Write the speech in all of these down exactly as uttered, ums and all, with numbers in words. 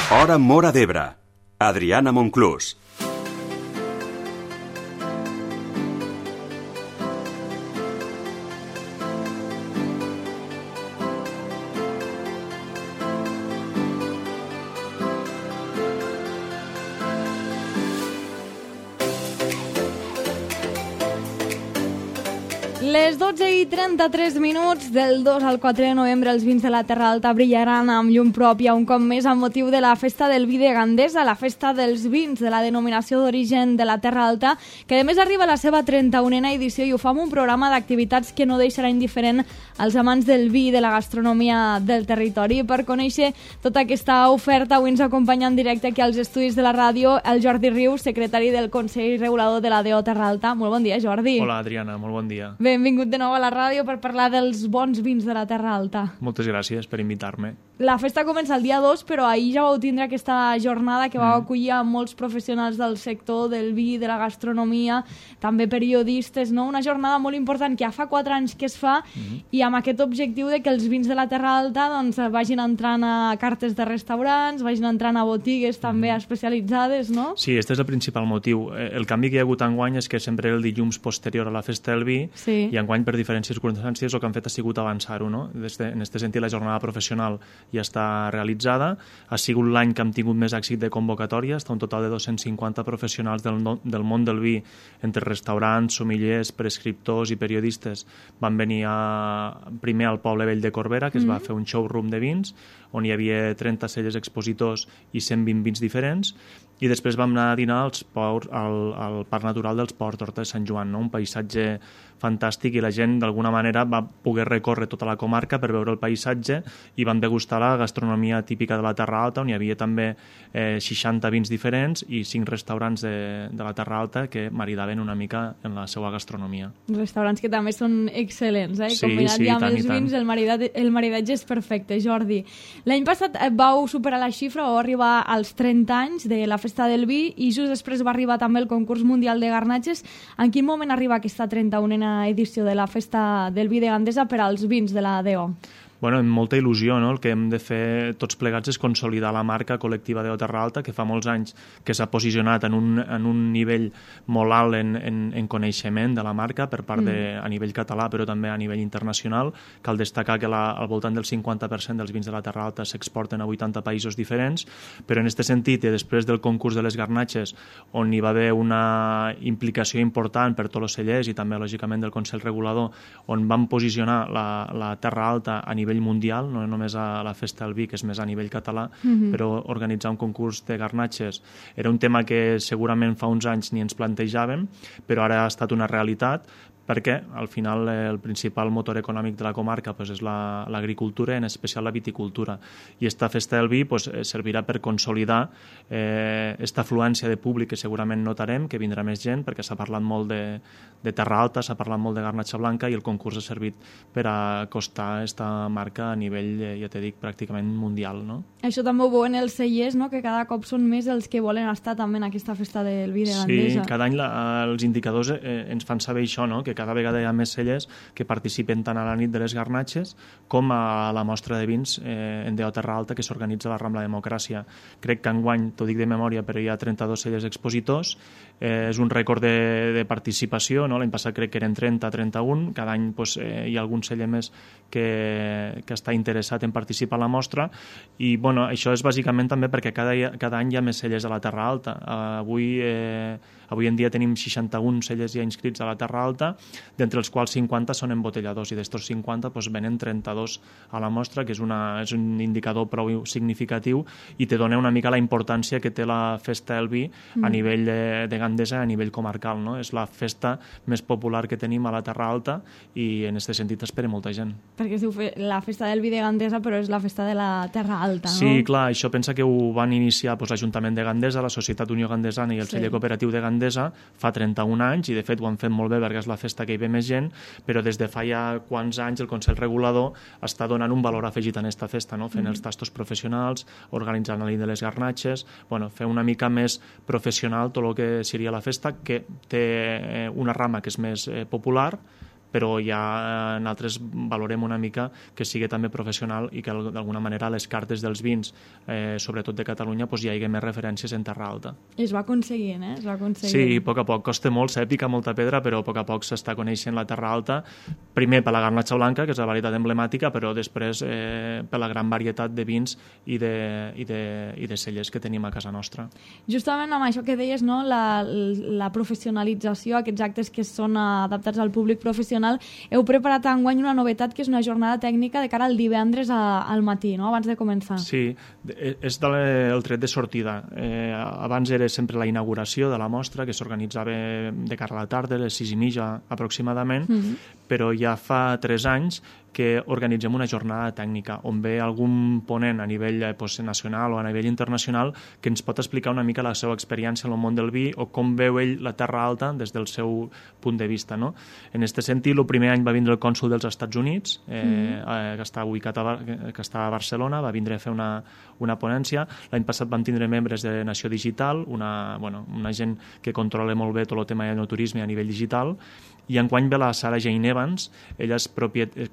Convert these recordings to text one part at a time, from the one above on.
Hora Móra d'Ebre. Adriana Monclús. Les dotze i trenta-tres minuts del dos al quatre de novembre els vins de la Terra Alta brillaran amb llum pròpia un cop més amb motiu de la Festa del Vi de Gandesa, la festa dels vins de la denominació d'origen de la Terra Alta, que a més arriba a la seva trenta-unena edició i ho fa amb un programa d'activitats que no deixarà indiferent als amants del vi i de la gastronomia del territori. Per conèixer tota aquesta oferta, avui ens acompanya en directe aquí als estudis de la ràdio el Jordi Rius, secretari del Consell Regulador de la D O Terra Alta. Molt bon dia, Jordi. Hola, Adriana, molt bon dia. Benvingut de nou a la ràdio per parlar dels bons vins de la Terra Alta. Moltes gràcies per invitar-me. La festa comença el dia dos, però ahir ja vau tindre aquesta jornada que va mm. acollir a molts professionals del sector del vi, de la gastronomia, també periodistes, no? Una jornada molt important que ja fa quatre anys que es fa mm. i amb aquest objectiu de que els vins de la Terra Alta doncs, vagin entrant a cartes de restaurants, vagin entrant a botigues també mm. especialitzades, no? Sí, aquest és el principal motiu. El canvi que hi ha hagut enguany és que sempre el dilluns posterior a la festa del vi sí. i enguany per diferents circumstàncies el que han fet ha sigut avançar-ho, no? Este, en aquest sentit la jornada professional ja està realitzada. Ha sigut l'any que hem tingut més èxit de convocatòria, està un total de dos-cents cinquanta professionals del, no, del món del vi, entre restaurants, sommeliers, prescriptors i periodistes. Van venir a, primer al Poble Vell de Corbera, que es mm-hmm. va fer un showroom de vins, on hi havia trenta cellers expositors i cent vint vins diferents, i després vam anar a dinar als por, al, al Parc Natural dels Ports d'Horta de Sant Joan, no? Un paisatge fantàstic, i la gent d'alguna manera va poder recórrer tota la comarca per veure el paisatge i van degustar la gastronomia típica de la Terra Alta, on hi havia també eh, seixanta vins diferents i cinc restaurants de, de la Terra Alta que maridaven una mica en la seva gastronomia. Restaurants que també són excel·lents, eh? Sí, combinat sí, ja amb tant, els i vins, tant. el maridatge, el maridatge és perfecte, Jordi. L'any passat vau superar la xifra, vau arribar als trenta anys de la Festa del Vi i just després va arribar també el concurs mundial de garnatges. En quin moment arriba aquesta trenta-unena edició de la Festa del Vi de Gandesa per als vins de la D O? Bueno, amb molta il·lusió, no? El que hem de fer tots plegats és consolidar la marca col·lectiva de Terra Alta, que fa molts anys que s'ha posicionat en un, en un nivell molt alt en, en, en coneixement de la marca per part de, mm. a nivell català, però també a nivell internacional. Cal destacar que la, al voltant del cinquanta per cent dels vins de la Terra Alta s'exporten a vuitanta països diferents, però en aquest sentit, i després del concurs de les garnatges, on hi va haver una implicació important per tots els cellers i també, lògicament, del Consell Regulador, on van posicionar la, la Terra Alta a nivell nivell mundial, no només a la Festa del Vi, que és més a nivell català, mm-hmm. però organitzar un concurs de garnatges era un tema que segurament fa uns anys ni ens plantejàvem, però ara ha estat una realitat, perquè al final el principal motor econòmic de la comarca pues, és l'agricultura, la, en especial la viticultura. I esta Festa del Vi pues, servirà per consolidar eh, esta afluència de públic que segurament notarem, que vindrà més gent, perquè s'ha parlat molt de, de Terra Alta, s'ha parlat molt de garnatxa blanca, i el concurs ha servit per acostar esta marca a nivell, ja t'he dit, pràcticament mundial. No? Això també ho veuen els cellers, no? Que cada cop són més els que volen estar també en aquesta Festa del Vi de Gandesa. Sí, cada any la, els indicadors eh, ens fan saber això, no? Que cada vegada hi ha més cellers que participen tant a la nit de les garnatges com a la mostra de vins eh, en D O Terra Alta que s'organitza a la Rambla Democràcia. Crec que enguany, t'ho dic de memòria, però hi ha trenta-dos cellers expositors. Eh, és un rècord de, de participació, no? L'any passat crec que eren trenta, trenta-un. Cada any pues, eh, hi ha algun celler més que, que està interessat en participar a la mostra, i bueno, això és bàsicament també perquè cada, cada any hi ha més cellers a la Terra Alta. Uh, avui, eh, avui en dia tenim seixanta-un cellers ja inscrits a la Terra Alta, d'entre els quals cinquanta són embotelladors, i d'estos cinquanta pues, venen trenta-dos a la mostra, que és, una, és un indicador prou significatiu i te dona una mica la importància que té la Festa del Vi mm. a nivell de, de Gandesa, a nivell comarcal. No? És la festa més popular que tenim a la Terra Alta, i en aquest sentit espera molta gent. Perquè es diu la Festa del Vi de Gandesa, però és la festa de la Terra Alta, no? Sí, clar, això pensa que ho van iniciar pues, l'Ajuntament de Gandesa, la Societat Unió Gandesana i el sí. Celler Cooperatiu de Gandesa fa trenta-un anys, i de fet ho han fet molt bé perquè és la festa que hi ve més gent, però des de fa ja quants anys el Consell Regulador està donant un valor afegit en aquesta festa, no? Fent mm. els tastos professionals, organitzant la nit de les garnatges, bueno, fer una mica més professional tot el que seria la festa, que té una rama que és més eh, popular, però ja nosaltres valorem una mica que sigui també professional i que d'alguna manera a les cartes dels vins, eh, sobretot de Catalunya, pues, hi hagi més referències en Terra Alta. I es va aconseguint, eh? Es va aconseguint. Sí, a poc a poc. Costa molt, s'ha de picar molta pedra, però a poc a poc s'està coneixent la Terra Alta. Primer per la garnatxa blanca, que és la varietat emblemàtica, però després eh, per la gran varietat de vins i de, i, de, i de cellers que tenim a casa nostra. Justament amb això que deies, no? la, la professionalització, aquests actes que són adaptats al públic professional, heu preparat enguany una novetat que és una jornada tècnica de cara al divendres a, al matí, no? Abans de començar. Sí, és de, el tret de sortida. Eh, abans era sempre la inauguració de la mostra, que s'organitzava de cara a la tarda, a les sis i mitja aproximadament, mm-hmm. però ja fa tres anys que organitzem una jornada tècnica on ve algun ponent a nivell pues, nacional o a nivell internacional que ens pot explicar una mica la seva experiència en el món del vi o com veu ell la Terra Alta des del seu punt de vista. No? En aquest sentit, el primer any va vindre el cònsol dels Estats Units, eh, mm. que està ubicat a, que està a Barcelona, va vindre a fer una, una ponència. L'any passat vam tindre membres de Nació Digital, una, bueno, una gent que controla molt bé tot el tema de enoturisme a nivell digital, i enguany ve la Sarah Jane Evans. Ella és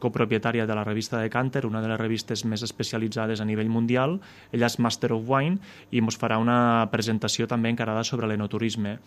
copropietària de la revista Decanter, una de les revistes més especialitzades a nivell mundial. Ella és Master of Wine i ens farà una presentació també encarada sobre l'enoturisme.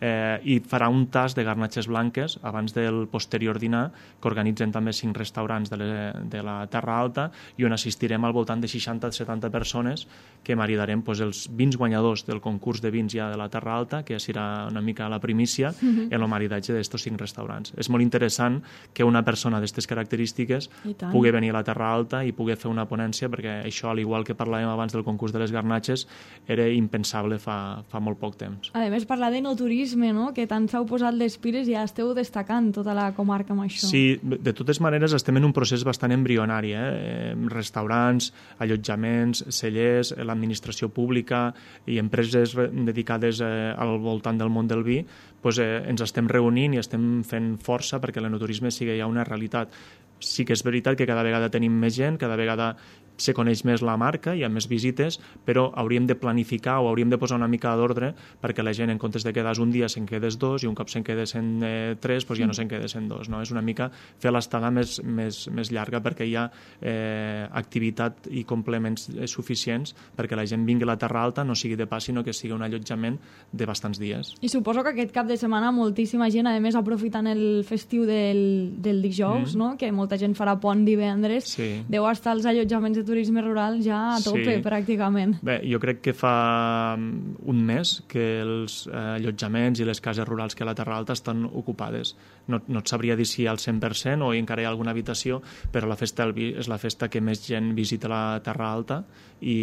Eh, i farà un tas de garnatxes blanques abans del posterior dinar que organitzen també cinc restaurants de, le, de la Terra Alta i on assistirem al voltant de seixanta a setanta persones que maridarem pues, els vins guanyadors del concurs de vins ja de la Terra Alta, que serà una mica la primícia mm-hmm. en el maridatge d'estos cinc restaurants. És molt interessant que una persona d'aquestes característiques pugui venir a la Terra Alta i pugui fer una ponència, perquè això, al igual que parlàvem abans del concurs de les garnatxes, era impensable fa, fa molt poc temps. A més, parlar d'enoturisme, no? Que tant s'heu posat les piles i ja esteu destacant tota la comarca amb això. Sí, de totes maneres estem en un procés bastant embrionari. Eh? Restaurants, allotjaments, cellers, l'administració pública i empreses dedicades eh, al voltant del món del vi, pues, eh, ens estem reunint i estem fent força perquè l'enoturisme sigui ja una realitat. Sí que és veritat que cada vegada tenim més gent, cada vegada se coneix més la marca, hi ha més visites, però hauríem de planificar o hauríem de posar una mica d'ordre perquè la gent, en comptes de quedar un dia, se'n quedes dos i un cop se'n quedes en eh, tres, doncs ja no se'n quedes en dos. No? És una mica fer l'estada més, més, més llarga perquè hi ha eh, activitat i complements eh, suficients perquè la gent vingui a la Terra Alta, no sigui de pas, sinó que sigui un allotjament de bastants dies. I suposo que aquest cap de setmana moltíssima gent, a més aprofitant el festiu del, del dijous, mm. no? Que molta gent farà pont divendres, sí. Deu estar als allotjaments de turisme rural ja a tope, sí. Pràcticament. Bé, jo crec que fa un mes que els allotjaments i les cases rurals que a la Terra Alta estan ocupades. No, no et sabria dir si al cent per cent o encara hi ha alguna habitació, però la festa del vi és la festa que més gent visita la Terra Alta i,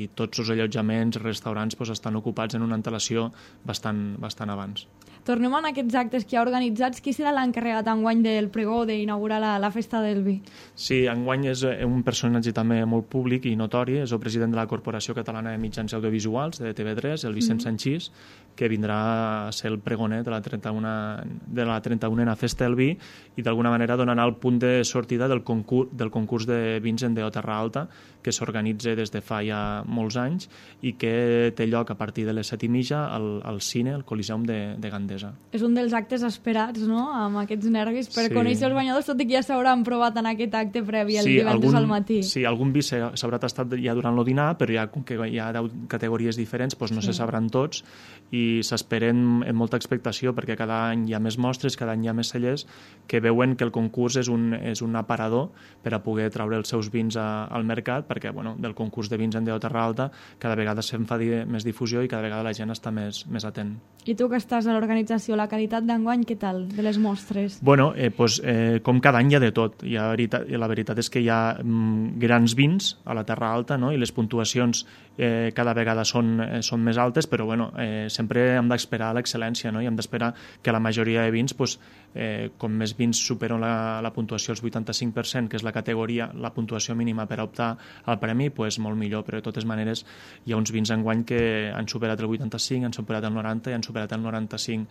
i tots els allotjaments, restaurants, doncs, estan ocupats en una antelació bastant, bastant abans. Tornem a aquests actes que hi ha organitzats. Qui serà l'encarregat enguany del pregó d'inaugurar la, la festa del vi? Sí, enguany és un personatge també molt públic i notori, és el president de la Corporació Catalana de Mitjans Audiovisuals, de T V tres, el Vicent mm-hmm. Sanchís, que vindrà a ser el pregoner de la trenta-unena Festa del Vi i d'alguna manera donarà el punt de sortida del concurs, del concurs de vins en D O Terra Alta, que s'organitza des de fa ja molts anys i que té lloc a partir de les set i mitja al, al cine, al Coliseum de, de Gandesa. És un dels actes esperats, no?, amb aquests nervis, per sí. Conèixer els guanyadors, tot i que ja s'hauran provat en aquest acte previ el sí, divendres algun, al matí. Sí, algun vi s'haurà tastat ja durant el dinar, però ja, com que hi ha deu categories diferents, doncs no sí. se sabran tots i s'esperen amb molta expectació perquè cada any hi ha més mostres, cada any hi ha més cellers que veuen que el concurs és un, és un aparador per a poder treure els seus vins a, al mercat, perquè bueno, del concurs de vins en D O Terra Alta cada vegada se'n fa més difusió i cada vegada la gent està més, més atent. I tu que estàs a l'organització, la qualitat d'enguany, què tal, de les mostres? Bueno, eh, pues, eh, com cada any hi ha de tot. Hi ha veritat, la veritat és que hi ha mm, grans vins a la Terra Alta, no? I les puntuacions eh, cada vegada són, eh, són més altes, però bueno, eh, sempre hem d'esperar l'excel·lència, no? I hem d'esperar que la majoria de vins, pues, eh, com més vins superen la, la puntuació als vuitanta-cinc per cent, que és la categoria, la puntuació mínima per optar al premi, pues, molt millor, però de totes maneres hi ha uns vins enguany que han superat el vuitanta-cinc, han superat el noranta i han superat el noranta-cinc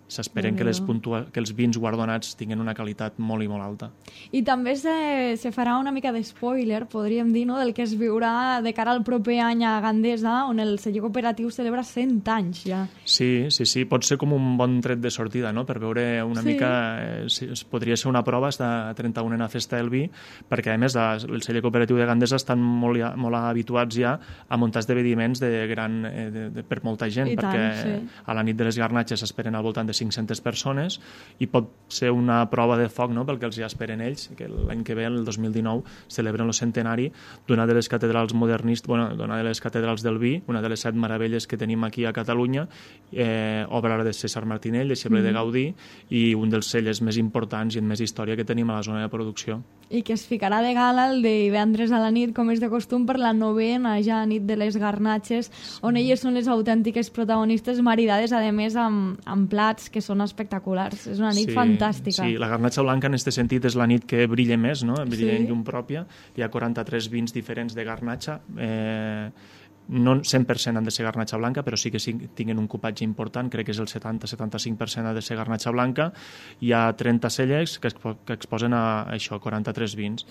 s'esperen que, les puntua... que els vins guardonats tinguin una qualitat molt i molt alta. I també se, se farà una mica d'espoiler, podríem dir, no?, del que es viurà de cara al proper any a Gandesa, on el celler cooperatiu celebra cent anys ja. Sí, sí, sí, pot ser com un bon tret de sortida, no?, per veure una sí. mica... Eh, si, podria ser una prova esta trenta-unena Festa del Vi, perquè a més el celler cooperatiu de Gandesa estan molt, molt habituats ja a muntar esdeveniments de gran, eh, de, de, per molta gent, I perquè tant, sí. a la nit de les garnatxes s'esperen al voltant de cinc-centes persones i pot ser una prova de foc, no?, pel que els ja esperen ells, que l'any que ve, el dos mil dinou, celebren el centenari d'una de les catedrals modernistes, bueno, d'una de les catedrals del vi, una de les set meravelles que tenim aquí a Catalunya, eh, obra de César Martinell, deixeble mm. de Gaudí, i un dels cellers més importants i amb més història que tenim a la zona de producció. I que es ficarà de gala el divendres a la nit, com és de costum, per la novena ja nit de les garnatxes, on elles són les autèntiques protagonistes, maridades, a més, amb, amb plats que són espectaculars. És una nit sí, fantàstica. Sí, la garnatxa blanca, en aquest sentit, és la nit que brilla més, no? Brilla sí. en llum pròpia. Hi ha quaranta-tres vins diferents de garnatxa. Eh, no cent per cent han de ser garnatxa blanca, però sí que sí, tinguen un cupatge important, crec que és el setanta a setanta-cinc per cent ha de ser garnatxa blanca. Hi ha trenta cellers que, expo que exposen a, a això, quaranta-tres vins.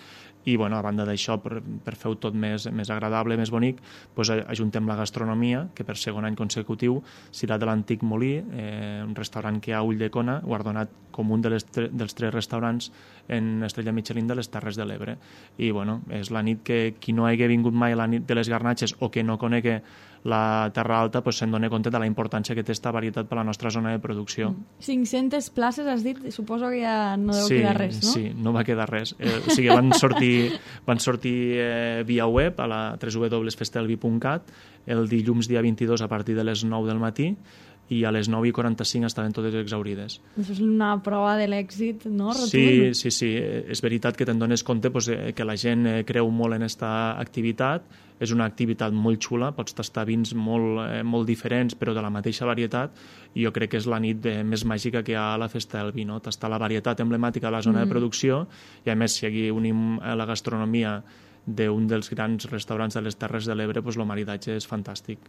I, bueno, a banda d'això, per, per fer-ho tot més, més agradable, més bonic, doncs ajuntem la gastronomia, que per segon any consecutiu serà de l'Antic Molí, eh, un restaurant que hi ha a Ulldecona, guardonat com un de les tre dels tres restaurants en Estrella Michelin de les Terres de l'Ebre. I, bueno, és la nit que qui no hagi vingut mai a la nit de les garnatxes o que no conegui la Terra Alta, pues, se'n dona compte de la importància que té esta varietat per a la nostra zona de producció. cinc-centes places, has dit? Suposo que ja no deu sí, quedar res, no? Sí, no va quedar res. Eh, o sigui, van sortir, van sortir eh, via web a la w w w punt festelvi punt cat el dilluns dia vint-i-dos a partir de les nou del matí, i a les nou i quaranta-cinc estaven totes exaurides. Això és una prova de l'èxit, no? Rotund. Sí, sí, sí. És veritat que te'n dones compte pues, que la gent creu molt en aquesta activitat. És una activitat molt xula, pots tastar vins molt, eh, molt diferents, però de la mateixa varietat, i jo crec que és la nit eh, més màgica que hi ha a la Festa del Vi, no? Tastar la varietat emblemàtica de la zona mm. de producció, i a més, si aquí unim la gastronomia d'un dels grans restaurants de les Terres de l'Ebre, doncs el maridatge és fantàstic.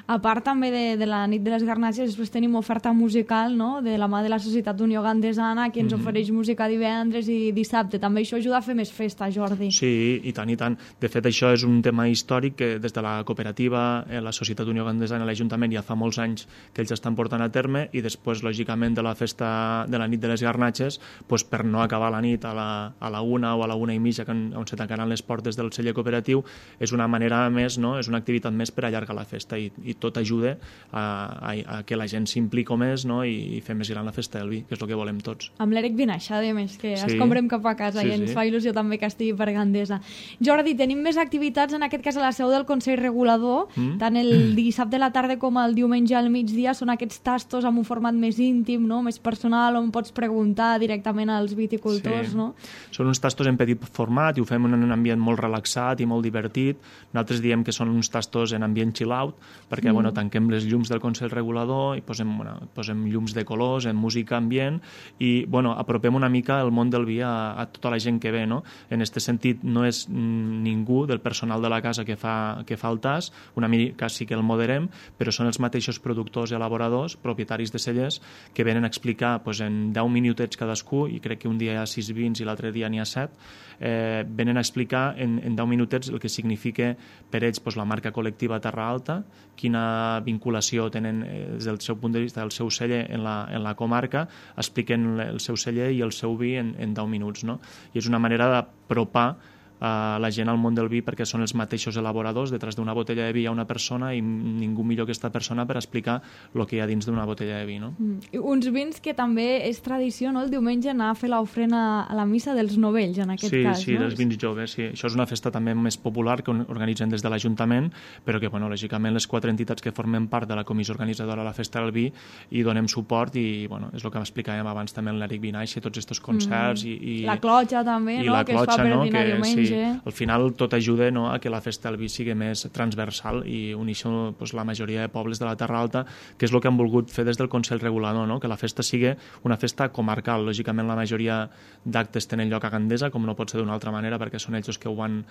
A part també de, de la nit de les garnatxes, després tenim oferta musical, no?, de la mà de la Societat Unió Gandesana, que ens mm-hmm. ofereix música divendres i dissabte. També això ajuda a fer més festa, Jordi. Sí, i tant, i tant. De fet, això és un tema històric que des de la cooperativa, la Societat Unió Gandesana i l'Ajuntament ja fa molts anys que ells estan portant a terme, i després, lògicament, de la festa de la nit de les garnatxes, doncs, per no acabar la nit a la, a la una o a la una i mitja, on se tancaran les portes del el celler cooperatiu, és una manera més, no? És una activitat més per allargar la festa, i, i tot ajuda a, a, a que la gent s'implico més, no? I, i fer més gran la Festa del Vi, que és el que volem tots. Amb l'Eric Vinaixa, a més, que sí. escombrem cap a casa sí, i ens sí. fa il·lusió també que estigui per Gandesa. Jordi, tenim més activitats, en aquest cas a la seu del Consell Regulador, mm. tant el dissabte a la tarda com el diumenge al migdia, són aquests tastos amb un format més íntim, no? Més personal, on pots preguntar directament als viticultors, sí. no? Són uns tastos en petit format i ho fem en un ambient molt relaxat i molt divertit. Nosaltres diem que són uns tastos en ambient chill-out, perquè mm. bueno, tanquem les llums del Consell Regulador i posem, bueno, posem llums de colors, en música ambient, i bueno, apropem una mica el món del vi a, a tota la gent que ve, no? En aquest sentit, no és ningú del personal de la casa que fa, que fa el tas, una mica sí que el moderem, però són els mateixos productors i elaboradors, propietaris de cellers, que venen a explicar pues, en deu minutets cadascú, i crec que un dia hi ha sis vins i l'altre dia n'hi ha set, eh, venen a explicar en, en deu minutets el que significa per ells pues, la marca col·lectiva Terra Alta, quina vinculació tenen eh, des del seu punt de vista del seu celler en la, en la comarca, expliquen el seu celler i el seu vi en, en deu minuts, no? I és una manera d'apropar a la gent al món del vi, perquè són els mateixos elaboradors. Detrás d'una botella de vi hi ha una persona, i ningú millor que aquesta persona per explicar el que hi ha dins d'una botella de vi, no? Mm. Uns vins que també és tradició, no?, el diumenge anar a fer l'ofrena a la missa dels novells, en aquest sí, cas, sí, no? Sí, dels vins joves, sí. Això és una festa també més popular que organitzen des de l'Ajuntament, però que, bueno, lògicament les quatre entitats que formen part de la comissió organitzadora de la Festa del Vi hi donem suport, i, bueno, és el que explicàvem abans també en l'Eric Vinaixa i tots aquests concerts, mm. i, i... La clotxa també, i no?, la que clotxa, es fa per no? dinar que, diumenge. diumenge... Sí, al final tot ajuda, no?, a que la festa del vi sigui més transversal i uneixi pues, la majoria de pobles de la Terra Alta, que és el que han volgut fer des del Consell Regulador, no?, que la festa sigui una festa comarcal. Lògicament la majoria d'actes tenen lloc a Gandesa, com no pot ser d'una altra manera, perquè són ells que ho van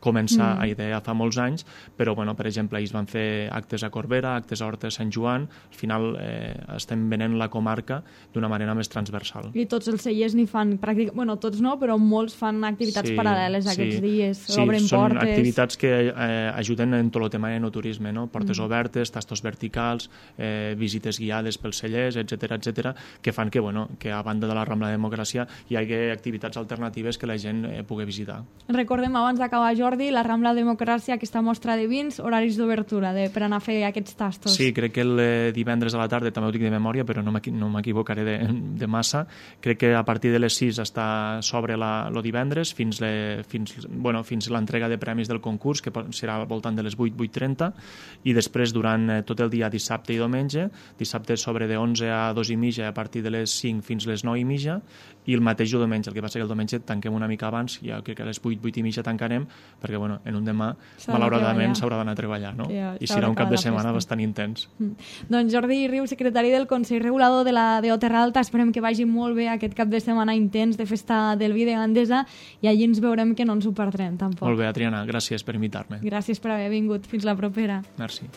començar mm. a idear fa molts anys, però, bueno, per exemple, ells van fer actes a Corbera, actes a Horta de Sant Joan, al final eh, estem venent la comarca d'una manera més transversal. I tots els cellers n'hi fan, pràcticament, bueno, tots no, però molts fan activitats sí, paral·leles aquests sí. dies, sí, obren són portes... activitats que eh, ajuden en tot el tema de enoturisme, no? Portes mm. obertes, tastos verticals, eh, visites guiades pels cellers, etcètera, etcètera, que fan que, bueno, que a banda de la Rambla de Democràcia hi hagi activitats alternatives que la gent eh, pugui visitar. Recordem, abans d'acabar, Jordi, la Rambla de Democràcia, aquesta mostra de vins, horaris d'obertura de, per anar a fer aquests tastos. Sí, crec que el eh, divendres a la tarda, també ho dic de memòria, però no m'equivocaré de, de massa, crec que a partir de les sis està sobre la, lo divendres fins, le, fins, bueno, fins l'entrega de premis del concurs, que serà al voltant de les vuit, vuit trenta, i després durant eh, tot el dia dissabte i diumenge, dissabte sobre de onze a dos i mitja, a partir de les cinc fins les nou i mitja, i el mateix diumenge, el que passa que el diumenge tanquem una mica abans, ja crec que a les vuit, vuit i mitja tancarem, perquè bueno, en un demà, malauradament, s'haurà d'anar a treballar, no? Ja, i serà un cap de setmana bastant intens. Mm. Doncs Jordi Riu, secretari del Consell Regulador de la D O Terra Alta, esperem que vagi molt bé aquest cap de setmana intens de festa del vi de Gandesa i allí ens veurem que no ens ho perdrem, tampoc. Molt bé, Adriana, gràcies per invitar-me. Gràcies per haver vingut. Fins la propera. Merci.